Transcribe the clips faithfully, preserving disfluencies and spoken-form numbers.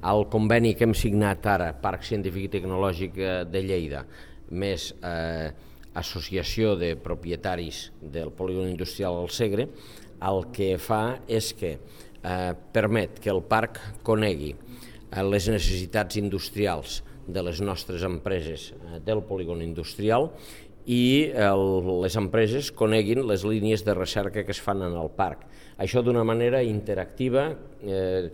El conveni que hem signat ara, Parc Científic i Tecnològic de Lleida, més eh, Associació de Propietaris del Polígon Industrial del Segre, el que fa és que eh, permet que el parc conegui eh, les necessitats industrials de les nostres empreses eh, del polígon industrial i el, les empreses coneguin les línies de recerca que es fan en el parc. Això d'una manera interactiva, eh,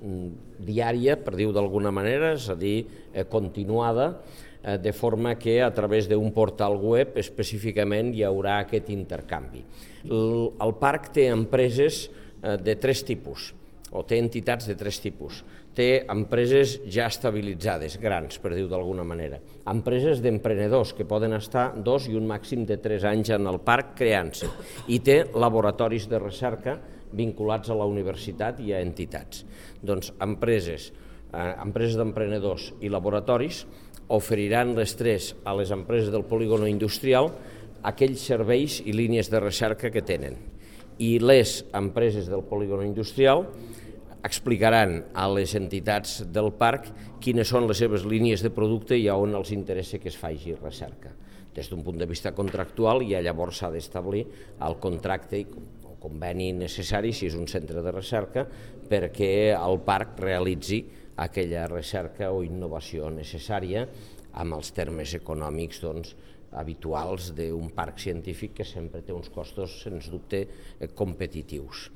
diària, per dir-ho d'alguna manera, és a dir, eh, continuada, eh, de forma que a través d'un portal web específicament hi haurà aquest intercanvi. El, el parc té empreses eh, de tres tipus, o té entitats de tres tipus. Té empreses ja estabilitzades, grans, per dir-ho d'alguna manera. Empreses d'emprenedors que poden estar dos i un màxim de tres anys en el parc creant-se. I té laboratoris de recerca vinculats a la universitat i a entitats. Doncs empreses, eh, empreses d'emprenedors i laboratoris oferiran les tres a les empreses del polígon industrial aquells serveis i línies de recerca que tenen. I les empreses del polígon industrial explicaran a les entitats del parc quines són les seves línies de producte i a on els interessa que es faci recerca. Des d'un punt de vista contractual, ja llavors s'ha d'establir el contracte i conveni necessari, si és un centre de recerca, perquè el parc realitzi aquella recerca o innovació necessària amb els termes econòmics doncs, habituals d'un parc científic que sempre té uns costos, sens dubte, competitius.